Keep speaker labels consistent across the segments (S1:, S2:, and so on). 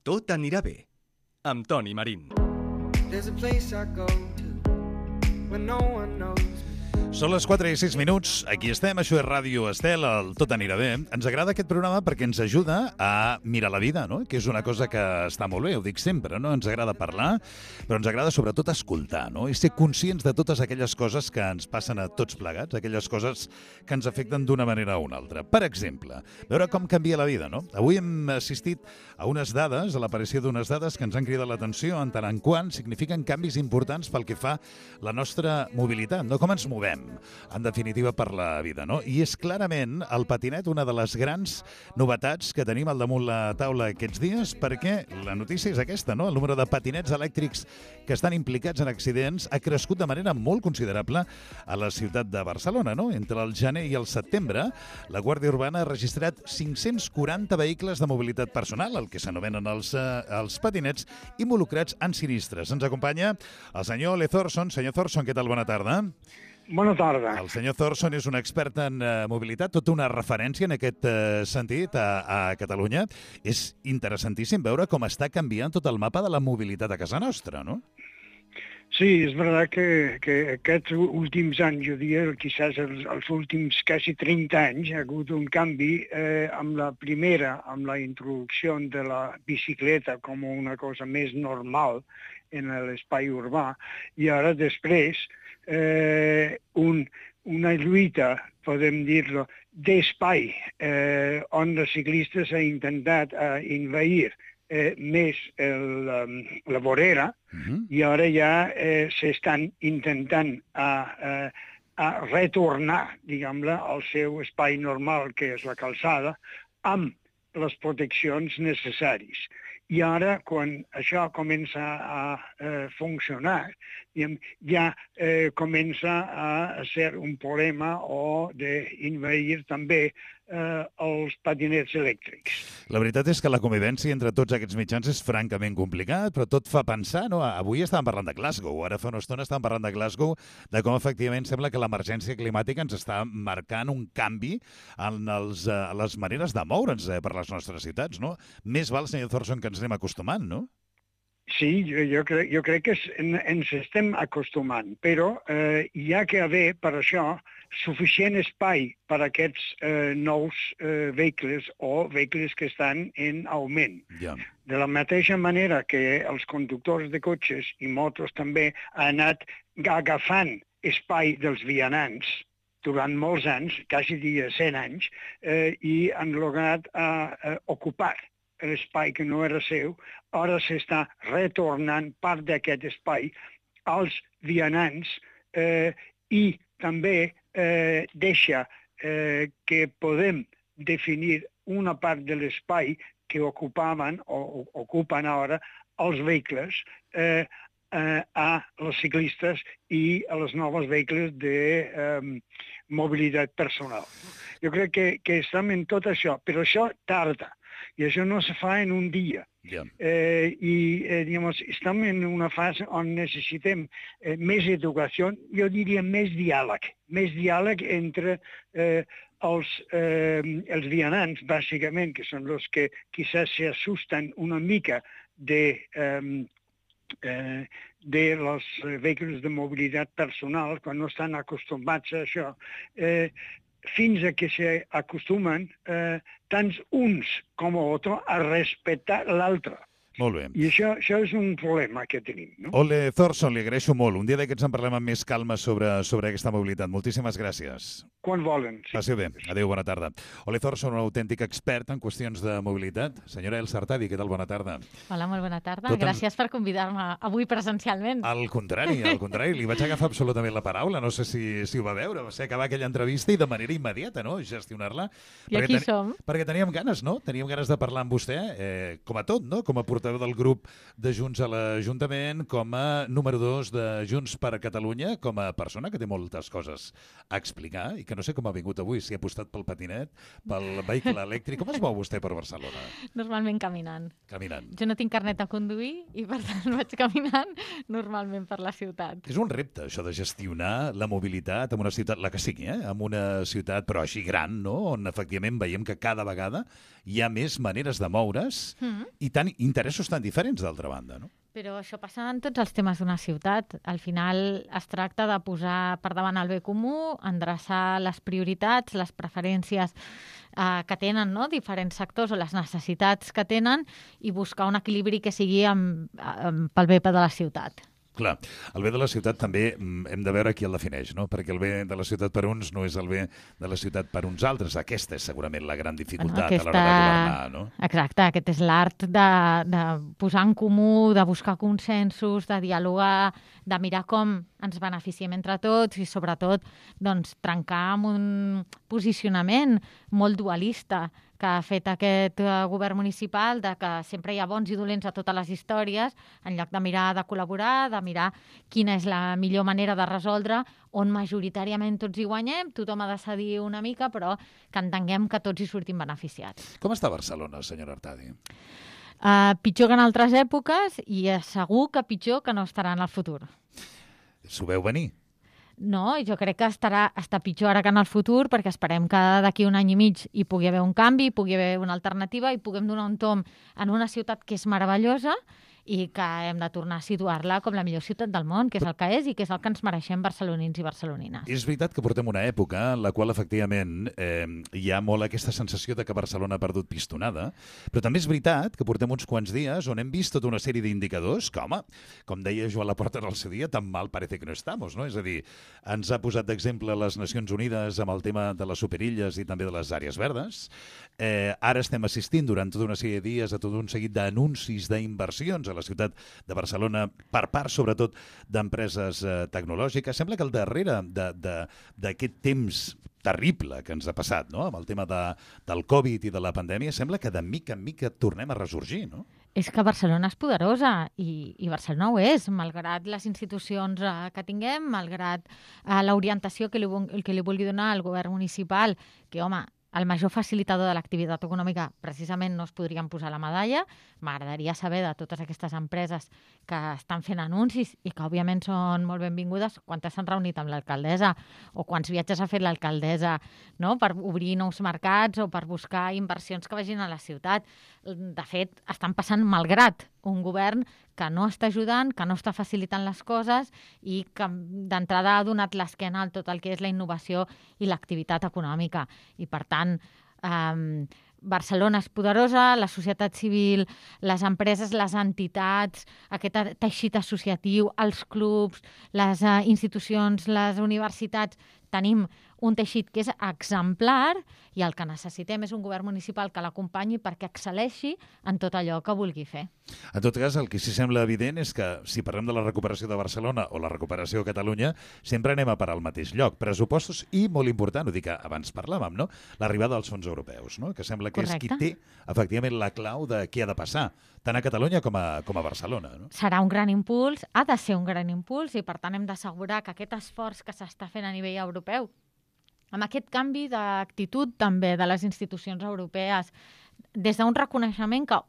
S1: Tot anirà bé, amb Toni Marín.
S2: There's a place I go to when no one knows me.
S3: Són les 4 i 6 minuts, aquí estem, això és Ràdio Estel, el Tot anirà bé. Ens agrada aquest programa perquè ens ajuda a mirar la vida, no? Que és una cosa que està molt bé, ho dic sempre, no? Ens agrada parlar, però ens agrada sobretot escoltar, no? I ser conscients de totes aquelles coses que ens passen a tots plegats, aquelles coses que ens afecten d'una manera o una altra. Per exemple, veure com canvia la vida, no? Avui hem assistit a unes dades, a l'aparició d'unes dades que ens han cridat l'atenció en tant en quant signifiquen canvis importants pel que fa la nostra mobilitat, no? Com ens movem, en definitiva, per la vida, no? I és clarament el patinet una de les grans novetats que tenim al damunt la taula aquests dies, perquè la notícia és aquesta, no? El número de patinets elèctrics que estan implicats en accidents ha crescut de manera molt considerable a la ciutat de Barcelona, no? Entre el gener i el setembre, la Guàrdia Urbana ha registrat 540 vehicles de mobilitat personal, el que s'anomenen els patinets, involucrats en sinistres. Ens acompanya el senyor Ole Thorson. Senyor Thorson, què tal? Bona tarda.
S4: Bona tarda.
S3: El senyor Thorson és un expert en mobilitat, tota una referència en aquest sentit a Catalunya. És interessantíssim veure com està canviant tot el mapa de la mobilitat a casa nostra, no?
S4: Sí, és veritat que aquests últims anys, jo diria, quizás els últims quasi 30 anys, ha hagut un canvi amb la introducció de la bicicleta com una cosa més normal en l'espai urbà, i ara després una lluita, podem dir-lo, d'espai, on els ciclistes han intentat envair més la vorera, i ara ja s'estan intentant a retornar, diguem-ne, al seu espai normal, que és la calçada, amb les proteccions necessàries. I ara, quan això comença a funcionar, ja comença a ser un problema o d'invair també els patinets elèctrics.
S3: La veritat és que la convivència entre tots aquests mitjans és francament complicat, però tot fa pensar, no? Avui estàvem parlant de Glasgow, ara fa una estona estàvem parlant de Glasgow, de com efectivament sembla que l'emergència climàtica ens està marcant un canvi en les maneres de moure'ns per les nostres ciutats, no? Més val, senyor Thorson, que ens anem acostumant, no?
S4: Sí, jo crec que ens estem acostumant, però hi ha que haver, per això, suficient espai per a aquests nous vehicles o vehicles que estan en augment.
S3: Ja.
S4: De la mateixa manera que els conductors de cotxes i motos també han anat agafant espai dels vianants durant molts anys, quasi 100 anys, i han lograt ocupar l'espai que no era seu, ara s'està retornant part d'aquest espai als vianants i també deixa que podem definir una part de l'espai que ocupaven o ocupen ara els vehicles a els ciclistes i a les noves vehicles de mobilitat personal. Jo crec que estem en tot això, però això tarda. I això no se fa en un dia.
S3: Yeah.
S4: Estem en una fase on necessitem més educació, jo diria més diàleg entre els vianants, bàsicament, que són els que quizás se asusten una mica de los vehicles de mobilitat personal, quan no estan acostumats a això, fins a que s'acostumen tant uns com l'altre a respectar l'altre.
S3: Molt bé.
S4: I això és un problema que tenim, no?
S3: Ole Thorson, li agraeixo molt. Un dia d'aquests en parlem amb més calma sobre aquesta mobilitat. Moltíssimes gràcies.
S4: Quan volen. Sí.
S3: Passi bé. Adéu, bona tarda. Ole Thorson, un autèntic expert en qüestions de mobilitat. Senyora Elsa Artadi, què tal? Bona tarda.
S5: Hola, molt bona tarda. Gràcies per convidar-me avui presencialment.
S3: Al contrari. Li vaig agafar absolutament la paraula. No sé si ho va veure. Va ser acabar aquella entrevista i de manera immediata, no?, gestionar-la.
S5: I aquí som.
S3: Perquè teníem ganes, no? Teníem ganes de parlar amb vostè, com a tot, no? Com a portaveu del grup de Junts a l'Ajuntament, com a número 2 de Junts per Catalunya, com a persona que té moltes coses a explicar i que no sé com ha vingut avui, si ha apostat pel patinet, pel vehicle elèctric. Com es mou vostè per Barcelona?
S5: Normalment caminant.
S3: Caminant.
S5: Jo no tinc carnet de conduir i, per tant, vaig caminant normalment per la ciutat.
S3: És un repte, això de gestionar la mobilitat en una ciutat, la que sigui, en una ciutat però així gran, no? On efectivament veiem que cada vegada hi ha més maneres de moure's i interessos tan diferents d'altra banda, no?
S5: Però això passa en tots els temes d'una ciutat. Al final es tracta de posar per davant el bé comú, endreçar les prioritats, les preferències que tenen, no? Diferents sectors o les necessitats que tenen i buscar un equilibri que sigui pel bé de la ciutat.
S3: Clar, el bé de la ciutat també hem de veure qui el defineix, no? Perquè el bé de la ciutat per uns no és el bé de la ciutat per uns altres. Aquesta és segurament la gran dificultat a l'hora de governar, no?
S5: Exacte, aquest és l'art de posar en comú, de buscar consensos, de dialogar, de mirar com ens beneficiem entre tots i sobretot doncs, trencar amb un posicionament molt dualista que ha fet aquest govern municipal, de que sempre hi ha bons i dolents a totes les històries, en lloc de mirar de col·laborar, de mirar quina és la millor manera de resoldre, on majoritàriament tots hi guanyem, tothom ha de cedir una mica, però que entenguem que tots hi sortim beneficiats.
S3: Com està Barcelona, senyora Artadi?
S5: Pitjor que en altres èpoques i segur que pitjor que no estarà en el futur.
S3: S'ho veu venir?
S5: No, jo crec que està pitjor ara que en el futur perquè esperem que d'aquí un any i mig hi pugui haver un canvi, hi pugui haver una alternativa i puguem donar un tomb en una ciutat que és meravellosa i que hem de tornar a situar-la com la millor ciutat del món, que és el que és i que és el que ens mereixem barcelonins i barcelonines.
S3: És veritat que portem una època en la qual, efectivament, hi ha molt aquesta sensació de que Barcelona ha perdut pistonada, però també és veritat que portem uns quants dies on hem vist tota una sèrie d'indicadors que, home, com deia Joan Laporta en el seu dia, tan mal parece que no estamos, no? És a dir, ens ha posat d'exemple les Nacions Unides amb el tema de les superilles i també de les àrees verdes. Ara estem assistint durant tota una sèrie de dies a tot un seguit d'anuncis d'inversions a la ciutat de Barcelona per part, sobretot, d'empreses tecnològiques. Sembla que al darrere d'aquest temps terrible que ens ha passat, no? Amb el tema del Covid i de la pandèmia, sembla que de mica en mica tornem a ressorgir, no?
S5: És que Barcelona és poderosa i Barcelona ho és, malgrat les institucions que tinguem, malgrat l'orientació que li vulgui donar el govern municipal, que, home, el major facilitador de l'activitat econòmica precisament no es podrien posar la medalla. M'agradaria saber de totes aquestes empreses que estan fent anuncis i que òbviament són molt benvingudes, quantes s'han reunit amb l'alcaldessa o quants viatges ha fet l'alcaldessa, no? Per obrir nous mercats o per buscar inversions que vagin a la ciutat. De fet, estan passant malgrat un govern que no està ajudant, que no està facilitant les coses i que d'entrada ha donat l'esquena a tot el que és la innovació i l'activitat econòmica. I, per tant, Barcelona és poderosa, la societat civil, les empreses, les entitats, aquest teixit associatiu, els clubs, les institucions, les universitats, tenim un teixit que és exemplar i el que necessitem és un govern municipal que l'acompanyi perquè excel·leixi en tot allò que vulgui fer.
S3: En tot cas, el que sí sembla evident és que si parlem de la recuperació de Barcelona o la recuperació de Catalunya, sempre anem a parar al mateix lloc. Pressupostos i, molt important, ho dic que abans parlàvem, no? L'arribada dels fons europeus, no? Que sembla que
S5: Correcte.
S3: és qui té, efectivament, la clau de què ha de passar, tant a Catalunya com a Barcelona, no?
S5: Serà un gran impuls, ha de ser un gran impuls i, per tant, hem d'assegurar que aquest esforç que s'està fent a nivell europeu, amb aquest canvi d'actitud també de les institucions europees, des d'un reconeixement que,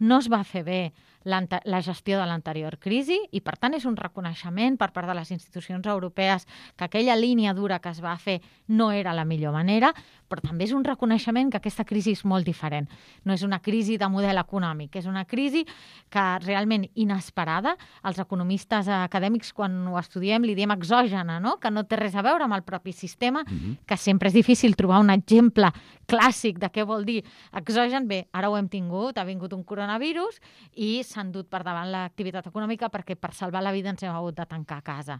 S5: no es va fer bé la gestió de l'anterior crisi i, per tant, és un reconeixement per part de les institucions europees que aquella línia dura que es va fer no era la millor manera, però també és un reconeixement que aquesta crisi és molt diferent. No és una crisi de model econòmic, és una crisi que realment inesperada. Els economistes acadèmics, quan ho estudiem, li diem exògena, no? Que no té res a veure amb el propi sistema, que sempre és difícil trobar un exemple clàssic de què vol dir exògen. Bé, ara ho hem tingut, ha vingut un coronavirus i s'han dut per davant l'activitat econòmica perquè per salvar la vida ens hem hagut de tancar a casa.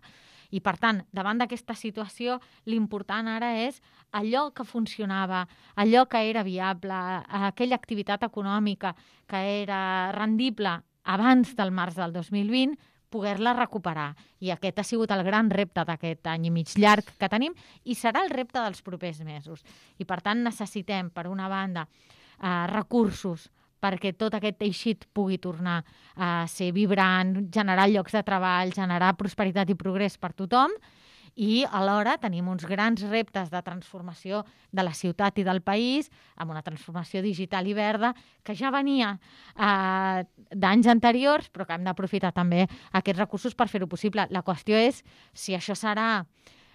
S5: I, per tant, davant d'aquesta situació, l'important ara és allò que funcionava, allò que era viable, aquella activitat econòmica que era rendible abans del març del 2020, poder-la recuperar. I aquest ha sigut el gran repte d'aquest any i mig llarg que tenim i serà el repte dels propers mesos. I, per tant, necessitem, per una banda, recursos perquè tot aquest teixit pugui tornar a ser vibrant, generar llocs de treball, generar prosperitat i progrés per tothom, i alhora tenim uns grans reptes de transformació de la ciutat i del país, amb una transformació digital i verda, que ja venia d'anys anteriors, però que hem d'aprofitar també aquests recursos per fer-ho possible. La qüestió és si això serà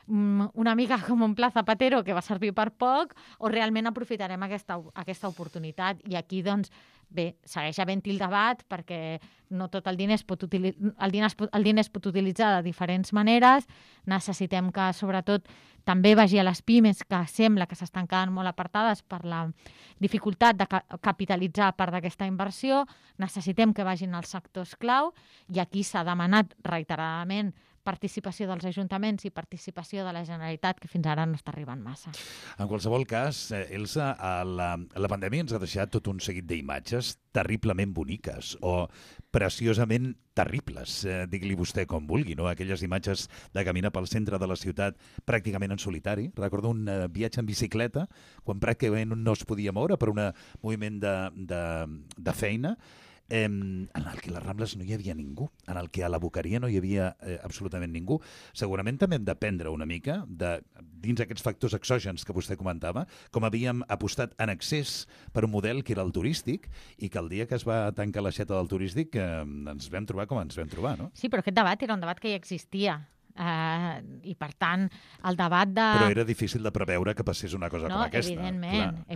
S5: una mica com un pla Zapatero que va servir per poc, o realment aprofitarem aquesta oportunitat. I aquí, doncs, bé, segueix havent-hi el debat, perquè no tot el diner es pot utilitzar de diferents maneres. Necessitem que, sobretot, també vagi a les pimes, que sembla que s'estan quedant molt apartades per la dificultat de capitalitzar part d'aquesta inversió. Necessitem que vagin als sectors clau, i aquí s'ha demanat reiteradament participació dels ajuntaments i participació de la Generalitat, que fins ara no està arribant massa.
S3: En qualsevol cas, Elsa, la pandèmia ens ha deixat tot un seguit d'imatges terriblement boniques o preciosament terribles, digui-li vostè com vulgui, no? Aquelles imatges de caminar pel centre de la ciutat pràcticament en solitari. Recordo un viatge en bicicleta, quan pràcticament no es podia moure per un moviment de feina, en el que a les Rambles no hi havia ningú, en el que a la Boqueria no hi havia absolutament ningú. Segurament també hem d'aprendre una mica dins aquests factors exògens que vostè comentava, com havíem apostat en excés per un model que era el turístic, i que el dia que es va tancar l'aixeta del turístic ens vam trobar com ens vam trobar, no?
S5: Sí, però aquest debat era un debat que ja existia. I per tant el debat de...
S3: Però era difícil de preveure que passés una cosa com aquesta.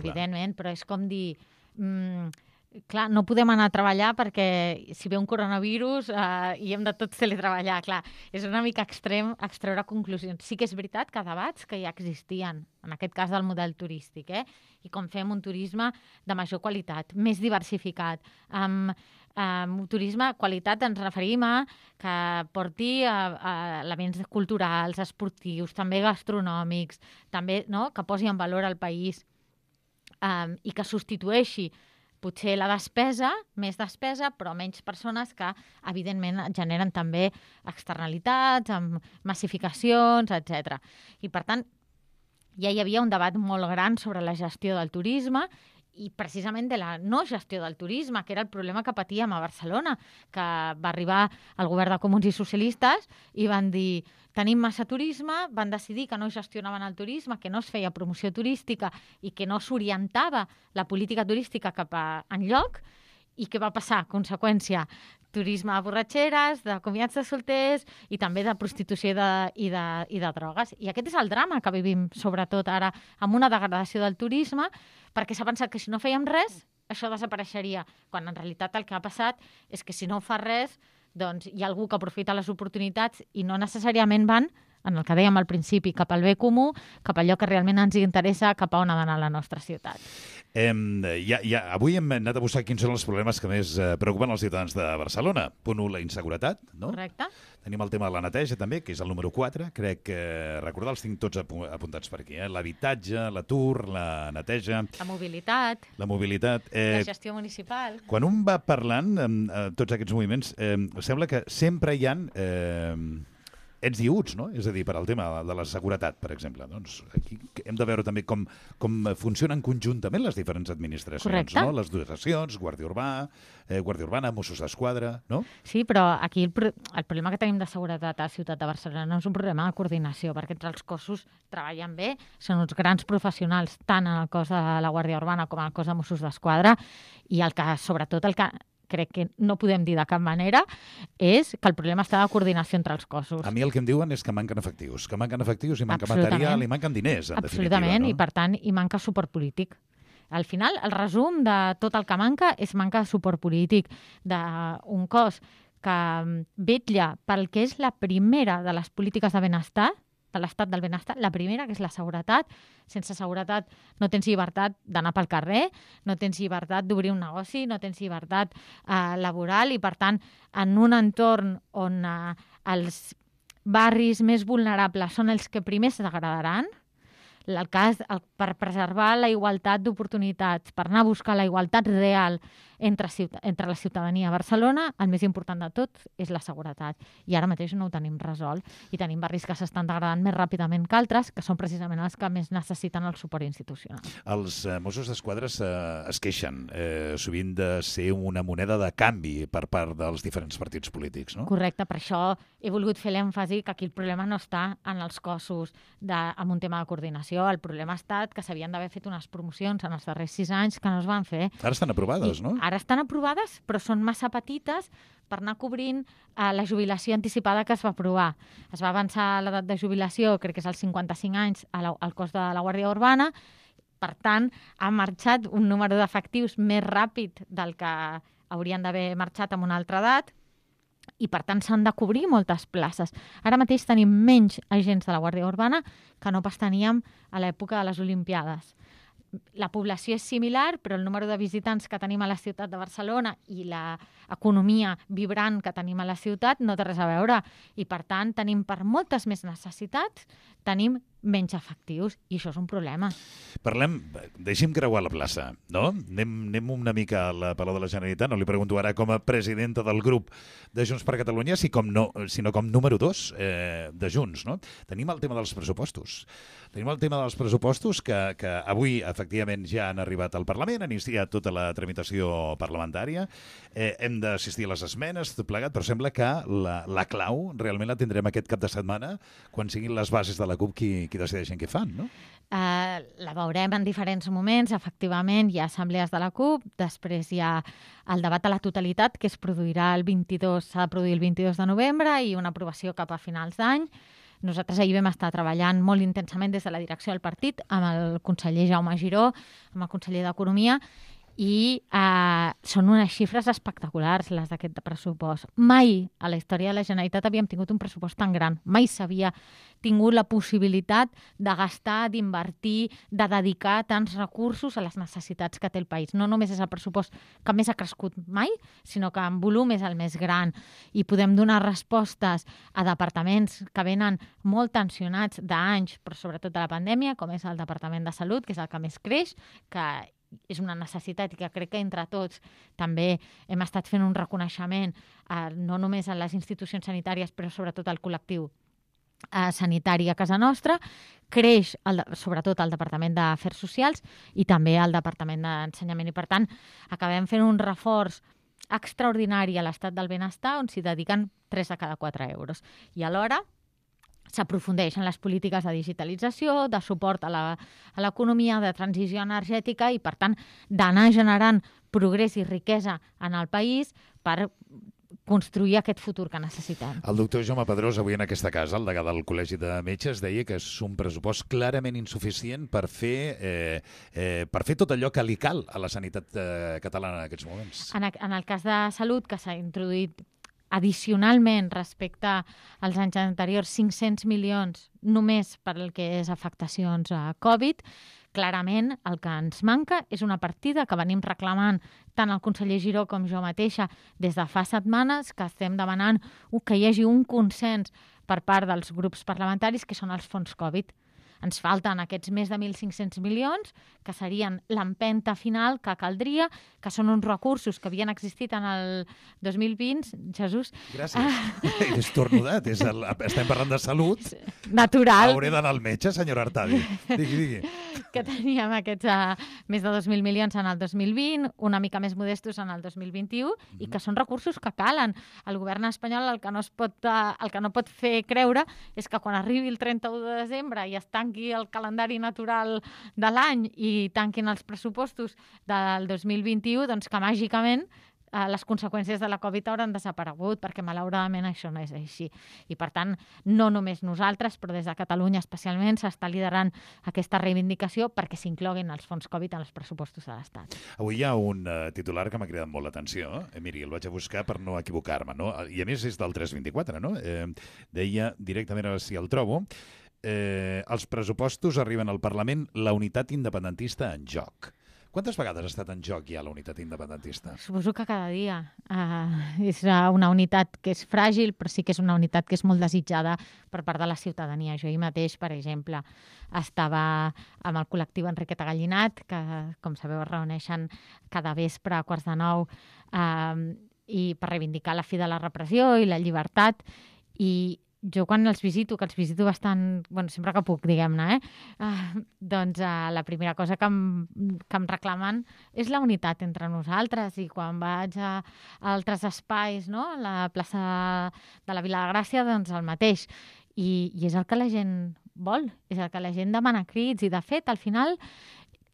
S5: Evidentment, però és com dir... Clar, no podem anar a treballar perquè si ve un coronavirus i hem de tots teletreballar. Clar, és una mica extrem extreure conclusions. Sí que és veritat que debats que ja existien, en aquest cas del model turístic, i com fem un turisme de major qualitat, més diversificat. Amb turisme qualitat ens referim a que porti elements culturals, esportius, també gastronòmics, també, no?, que posi en valor el país i que substitueixi potser la despesa, més despesa, però menys persones, que evidentment generen també externalitats, amb massificacions, etc. I per tant, ja hi havia un debat molt gran sobre la gestió del turisme i precisament de la no gestió del turisme, que era el problema que patíem a Barcelona, que va arribar el govern de Comuns i Socialistes i van dir: tenim massa turisme, van decidir que no gestionaven el turisme, que no es feia promoció turística i que no s'orientava la política turística cap enlloc. I què va passar? Conseqüència, turisme de borratxeres, de convidats de solters i també de prostitució i de drogues. I aquest és el drama que vivim, sobretot ara, amb una degradació del turisme, perquè s'ha pensat que si no fèiem res, això desapareixeria, quan en realitat el que ha passat és que si no fa res, doncs hi ha algú que aprofita les oportunitats i no necessàriament van, en el que dèiem al principi, cap al bé comú, cap a allò que realment ens interessa, cap a on ha d'anar la nostra ciutat.
S3: Avui hem anat a buscar quins són els problemes que més preocupen els ciutadans de Barcelona. Punt 1, la inseguretat, no?
S5: Correcte.
S3: Tenim el tema de la neteja, també, que és el número 4. Crec que, recordar, els tinc tots apuntats per aquí. L'habitatge, l'atur, la neteja...
S5: La mobilitat.
S3: La
S5: gestió municipal.
S3: Quan un va parlant tots aquests moviments, sembla que sempre hi ha ets i uts, no? És a dir, per al tema de la seguretat, per exemple. Doncs aquí hem de veure també com funcionen conjuntament les diferents administracions.
S5: Correcte.
S3: No? Les dotacions, Guàrdia Urbana, Mossos d'Esquadra, no?
S5: Sí, però aquí el problema que tenim de seguretat a la ciutat de Barcelona no és un problema de coordinació, perquè entre els cossos treballen bé, són uns grans professionals, tant en el cos de la Guàrdia Urbana com en el cos de Mossos d'Esquadra, i sobretot el que crec que no podem dir de cap manera, és que el problema està de coordinació entre els cossos.
S3: A mi el que em diuen és que manquen efectius i manca material i manquen diners, en definitiva.
S5: Absolutament,
S3: no?
S5: I per tant hi manca suport polític. Al final, el resum de tot el que manca és manca de suport polític d'un cos que vetlla pel que és la primera de les polítiques de benestar, de l'estat del benestar, la primera, que és la seguretat. Sense seguretat no tens llibertat d'anar pel carrer, no tens llibertat d'obrir un negoci, no tens llibertat laboral, i per tant, en un entorn on els barris més vulnerables són els que primer es degradaran, per preservar la igualtat d'oportunitats, per anar a buscar la igualtat real entre la ciutadania a Barcelona, el més important de tot és la seguretat. I ara mateix no ho tenim resolt. I tenim barris que s'estan degradant més ràpidament que altres, que són precisament els que més necessiten el suport institucional.
S3: Els Mossos d'Esquadra es queixen sovint de ser una moneda de canvi per part dels diferents partits polítics, no?
S5: Correcte, per això he volgut fer l'èmfasi que aquí el problema no està en els cossos amb un tema de coordinació. El problema ha estat que s'havien d'haver fet unes promocions en els darrers 6 anys que no es van fer.
S3: Ara estan aprovades, no?
S5: Ara estan aprovades, però són massa petites per anar cobrint la jubilació anticipada que es va aprovar. Es va avançar l'edat de jubilació, crec que és als 55 anys, al cos de la Guàrdia Urbana. Per tant, ha marxat un número d'efectius més ràpid del que haurien d'haver marxat amb una altra edat, i per tant s'han de cobrir moltes places. Ara mateix tenim menys agents de la Guàrdia Urbana que no pas teníem a l'època de les Olimpiades. La població és similar, però el número de visitants que tenim a la ciutat de Barcelona i l'economia vibrant que tenim a la ciutat no té res a veure. I, per tant, tenim per moltes més necessitats, tenim menys efectius, i això és un problema.
S3: Deixem creuar la plaça, no? Anem una mica al Palau de la Generalitat. No li pregunto ara com a presidenta del grup de Junts per Catalunya, sinó com número 2 de Junts, no? Tenim el tema dels pressupostos. Tenim el tema dels pressupostos que avui, efectivament, ja han arribat al Parlament, han iniciat tota la tramitació parlamentària. Hem d'assistir a les esmenes, tot plegat, però sembla que la clau realment la tindrem aquest cap de setmana, quan siguin les bases de la CUP qui decideixen què fan, no?
S5: La veurem en diferents moments. Efectivament, hi ha assemblees de la CUP, després hi ha el debat a la totalitat, que s'ha de produir el 22 de novembre, i una aprovació cap a finals d'any. Nosaltres ahir vam estar treballant molt intensament des de la direcció del partit amb el conseller Jaume Giró, amb el conseller d'Economia, i són unes xifres espectaculars, les d'aquest pressupost. Mai a la història de la Generalitat havíem tingut un pressupost tan gran. Mai s'havia tingut la possibilitat de gastar, d'invertir, de dedicar tants recursos a les necessitats que té el país. No només és el pressupost que més ha crescut mai, sinó que en volum és el més gran. I podem donar respostes a departaments que venen molt tensionats d'anys, però sobretot de la pandèmia, com és el Departament de Salut, que és el que més creix, que és una necessitat i que crec que entre tots també hem estat fent un reconeixement no només a les institucions sanitàries, però sobretot al col·lectiu sanitari a casa nostra. Creix sobretot el Departament d'Afers Socials i també el Departament d'Ensenyament, i per tant acabem fent un reforç extraordinari a l'estat del benestar, on s'hi dediquen 3 de cada 4 euros. I alhora s'aprofundeix en les polítiques de digitalització, de suport a l'economia, de transició energètica, i, per tant, d'anar generant progrés i riquesa en el país per construir aquest futur que necessitem.
S3: El doctor Jaume Pedrós, avui en aquesta casa, el degà del Col·legi de Metges, deia que és un pressupost clarament insuficient per fer tot allò que li cal a la sanitat catalana en aquests moments.
S5: En el cas de Salut, que s'ha introduït addicionalment respecte als anys anteriors 500 milions només per el que és afectacions a Covid, clarament el que ens manca és una partida que venim reclamant tant el conseller Giró com jo mateixa des de fa setmanes, que estem demanant que hi hagi un consens per part dels grups parlamentaris, que són els fons Covid. Ens falten aquests més de 1.500 milions, que serien l'empenta final que caldria, que són uns recursos que havien existit en el 2020. Jesús.
S3: Gràcies. És tornudat. Estem parlant de salut.
S5: Natural.
S3: Hauré d'anar al metge, senyora Artadi. Digui.
S5: Que teníem aquests més de 2.000 milions en el 2020, una mica més modestos en el 2021, i que són recursos que calen. El govern espanyol el que no pot fer creure és que quan arribi el 31 de desembre i es tanqui el calendari natural de l'any i tanquin els pressupostos del 2021, doncs que màgicament les conseqüències de la Covid hauran desaparegut, perquè malauradament això no és així. I per tant, no només nosaltres, però des de Catalunya especialment s'està liderant aquesta reivindicació perquè s'incloguin els fons Covid en els pressupostos de l'Estat.
S3: Avui hi ha un titular que m'ha cridat molt l'atenció. Miri, el vaig a buscar per no equivocar-me, no? I a més és del 324, no? Deia directament, a veure si el trobo, els pressupostos arriben al Parlament, la unitat independentista en joc. Quantes vegades ha estat en joc ja la unitat independentista?
S5: Suposo que cada dia. És una unitat que és fràgil, però sí que és una unitat que és molt desitjada per part de la ciutadania. Jo ahir mateix, per exemple, estava amb el col·lectiu Enriqueta Gallinat, que, com sabeu, es reuneixen cada vespre a 8:45 i per reivindicar la fi de la repressió i la llibertat. I jo quan els visito, que els visito bastant, bueno, sempre que puc, diguem-ne, doncs la primera cosa que em reclamen és la unitat entre nosaltres, i quan vaig a altres espais, no?, a la plaça de la Vila de Gràcia, doncs el mateix. I és el que la gent vol, és el que la gent demana a crits, i de fet, al final,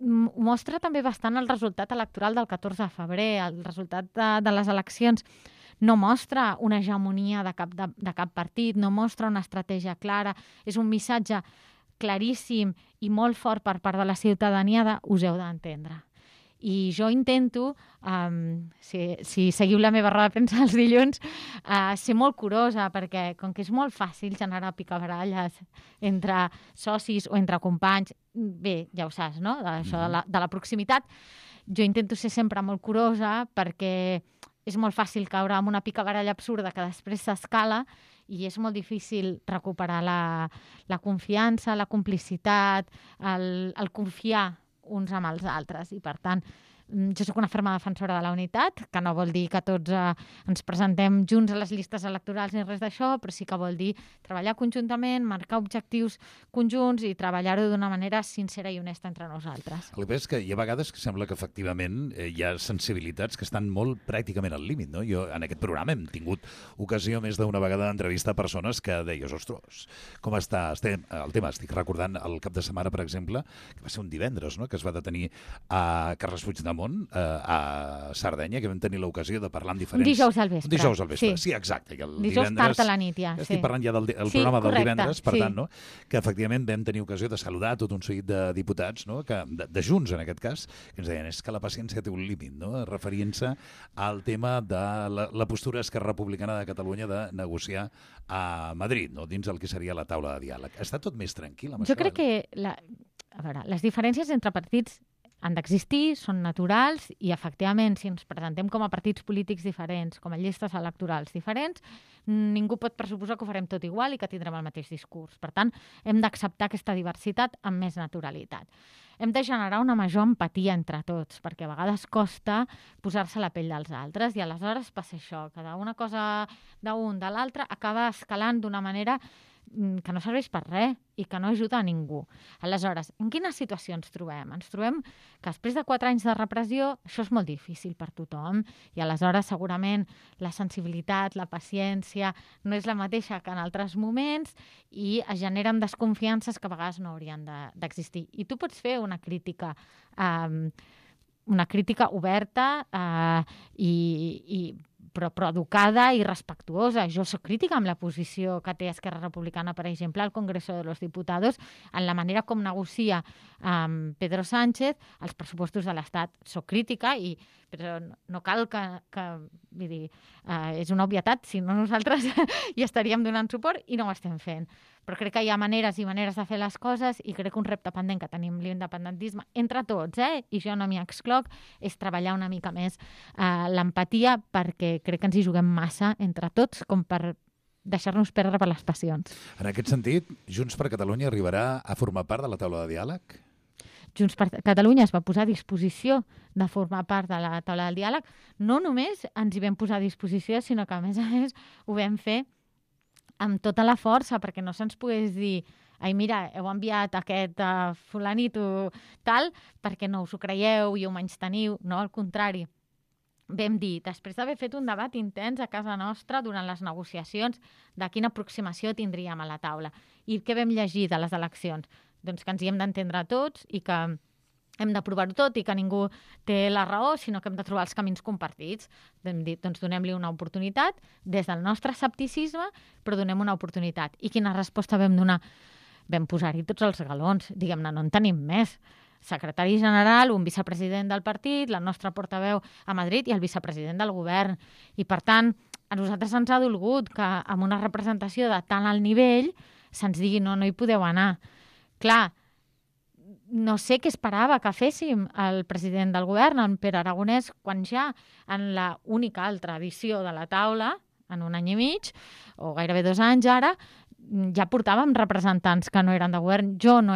S5: mostra també bastant el resultat electoral del 14 de febrer, el resultat de les eleccions. No mostra una hegemonia de cap partit, no mostra una estratègia clara, és un missatge claríssim i molt fort per part de la ciutadania de us heu d'entendre. I jo intento, si seguiu la meva roda de premsa els dilluns, ser molt curosa, perquè com que és molt fàcil generar picabaralles entre socis o entre companys, bé, ja ho saps, no?, això de la proximitat, jo intento ser sempre molt curosa, perquè és molt fàcil caure en una picabaralla absurda que després s'escala, i és molt difícil recuperar la confiança, la complicitat, el confiar uns amb els altres. I, per tant, jo sóc una ferma defensora de la unitat, que no vol dir que tots ens presentem junts a les llistes electorals ni res d'això, però sí que vol dir treballar conjuntament, marcar objectius conjunts i treballar-ho d'una manera sincera i honesta entre nosaltres.
S3: El que és que hi ha vegades que sembla que efectivament hi ha sensibilitats que estan molt pràcticament al límit, no? Jo en aquest programa hem tingut ocasió més d'una vegada d'entrevistar persones que deies, ostres, com està el tema? Estic recordant el cap de setmana, per exemple, que va ser un divendres, no?, que es va detenir a Carles Puigdemont a Sardenya, que vam tenir l'ocasió de parlar amb diferents...
S5: Un dijous al vespre.
S3: Un dijous al vespre, sí, exacte.
S5: Dijous tard a la nit, ja.
S3: Estic parlant ja del programa del divendres, per tant, no? Que efectivament vam tenir ocasió de saludar tot un seguit de diputats, no?, de Junts, en aquest cas, que ens deien, és que la paciència té un límit, no?, referint-se al tema de la postura Esquerra Republicana de Catalunya de negociar a Madrid, no?, dins el que seria la taula de diàleg. Està tot més tranquil amb això?
S5: Jo crec que les diferències entre partits han d'existir, són naturals, i efectivament, si ens presentem com a partits polítics diferents, com a llistes electorals diferents, ningú pot pressuposar que ho farem tot igual i que tindrem el mateix discurs. Per tant, hem d'acceptar aquesta diversitat amb més naturalitat. Hem de generar una major empatia entre tots, perquè a vegades costa posar-se a la pell dels altres, i aleshores passa això, que d'una cosa d'un de l'altre acaba escalant d'una manera que no serveix per res i que no ajuda a ningú. Aleshores, en quines situacions ens trobem? Ens trobem que després de 4 anys de repressió això és molt difícil per tothom, i aleshores segurament la sensibilitat, la paciència no és la mateixa que en altres moments, i es generen desconfiances que a vegades no haurien d'existir. I tu pots fer una crítica oberta però educada i respectuosa. Jo soc crítica amb la posició que té Esquerra Republicana, per exemple, al Congreso de los Diputados, en la manera com negocia Pedro Sánchez els pressupostos de l'Estat. Soc crítica, però no cal que vull dir, és una obvietat, si no nosaltres hi estaríem donant suport i no ho estem fent. Però crec que hi ha maneres i maneres de fer les coses, i crec que un repte pendent que tenim l'independentisme entre tots, i jo no m'hi excloc, és treballar una mica més l'empatia, perquè crec que ens hi juguem massa entre tots com per deixar-nos perdre per les passions.
S3: En aquest sentit, Junts per Catalunya arribarà a formar part de la taula de diàleg?
S5: Junts per Catalunya es va posar a disposició de formar part de la taula del diàleg. No només ens hi vam posar a disposició, sinó que a més ho vam fer amb tota la força, perquè no se'ns pogués dir ai, mira, heu enviat aquest fulanito tal, perquè no us ho creieu i ho menysteniu. No, al contrari. Vam dir, després d'haver fet un debat intens a casa nostra durant les negociacions de quina aproximació tindríem a la taula. I què vam llegir de les eleccions? Doncs que ens hi hem d'entendre tots i que hem de provar-ho tot i que ningú té la raó, sinó que hem de trobar els camins compartits. Hem dit, doncs donem-li una oportunitat des del nostre escepticisme, però donem una oportunitat. I quina resposta vam donar? Vam posar-hi tots els galons. Diguem-ne, no en tenim més. Secretari general, un vicepresident del partit, la nostra portaveu a Madrid i el vicepresident del govern. I, per tant, a nosaltres ens ha dolgut que amb una representació de tant alt nivell se'ns digui no hi podeu anar. Clar, no sé què esperava que féssim el president del govern, en Pere Aragonès, quan ja en la única altra edició de la taula, en un any i mig, o gairebé 2 anys ara, ja portàvem representants que no eren de govern. Jo no